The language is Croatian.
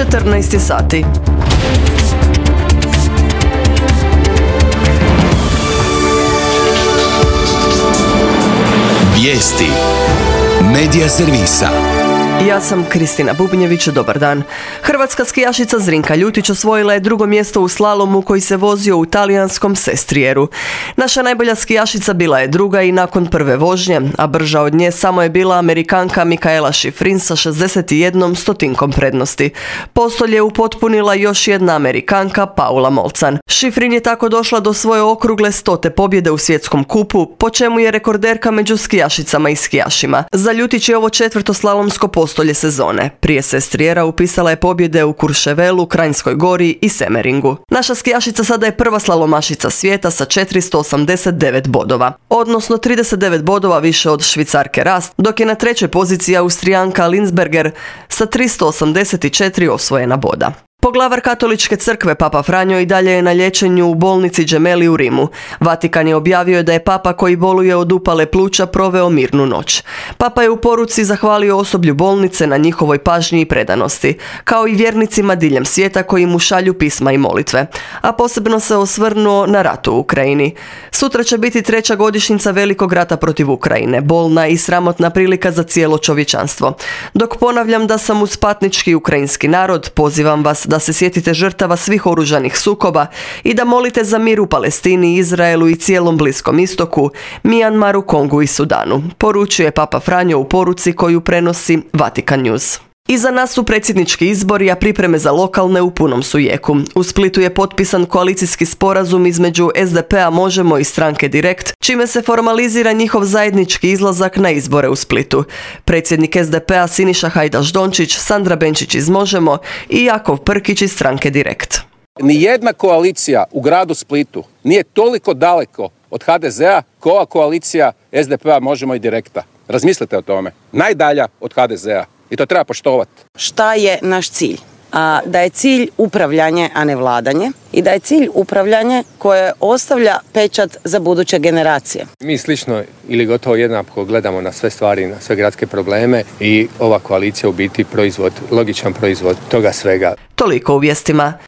14 sati. Vijesti Medija servisa. Ja sam Kristina Bubnjević, dobar dan. Hrvatska skijašica Zrinka Ljutić osvojila je drugo mjesto u slalomu koji se vozio u talijanskom Sestrijeru. Naša najbolja skijašica bila je druga i nakon prve vožnje, a brža od nje samo je bila Amerikanka Mikaela Shiffrin sa 61% prednosti. Postolje je upotpunila još jedna Amerikanka Paula Molcan. Shiffrin je tako došla do svoje okrugle 100. pobjede u svjetskom kupu, po čemu je rekorderka među skijašicama i skijašima. Za Ljutić je ovo 4. slalomsko postolje sezone. Prije Sestrijera upisala je pobjede u Kurševelu, Kranjskoj Gori i Semeringu. Naša skijašica sada je prva slalomašica svijeta sa 489 bodova, odnosno 39 bodova više od Švicarke Rast, dok je na trećoj poziciji Austrijanka Linsberger sa 384 osvojena boda. Poglavar Katoličke crkve Papa Franjo i dalje je na liječenju u bolnici Gemelli u Rimu. Vatikan je objavio da je Papa koji boluje od upale pluća proveo mirnu noć. Papa je u poruci zahvalio osoblju bolnice na njihovoj pažnji i predanosti, kao i vjernicima diljem svijeta koji mu šalju pisma i molitve, a posebno se osvrnuo na rat u Ukrajini. Sutra će biti 3. godišnjica velikog rata protiv Ukrajine, bolna i sramotna prilika za cijelo čovječanstvo. Dok ponavljam da sam uz patnički ukrajinski narod, pozivam vas da se sjetite žrtava svih oružanih sukoba i da molite za mir u Palestini, Izraelu i cijelom Bliskom istoku, Mijanmaru, Kongu i Sudanu, poručuje Papa Franjo u poruci koju prenosi Vatikan News. Iza nas su predsjednički izbori, a pripreme za lokalne u punom su jeku. U Splitu je potpisan koalicijski sporazum između SDP-a Možemo i stranke Direkt, čime se formalizira njihov zajednički izlazak na izbore u Splitu. Predsjednik SDP-a Siniša Hajdaš Dončić, Sandra Benčić iz Možemo i Jakov Prkić iz stranke Direkt. Nijedna koalicija u gradu Splitu nije toliko daleko od HDZ-a kao ova koalicija SDP-a Možemo i Direkta. Razmislite o tome. Najdalja od HDZ-a. I to treba poštovati. Šta je naš cilj? Da je cilj upravljanje, a ne vladanje. I da je cilj upravljanje koje ostavlja pečat za buduće generacije. Mi slično ili gotovo jednako gledamo na sve stvari, na sve gradske probleme i ova koalicija u biti proizvod, logičan proizvod toga svega. Toliko u vijestima.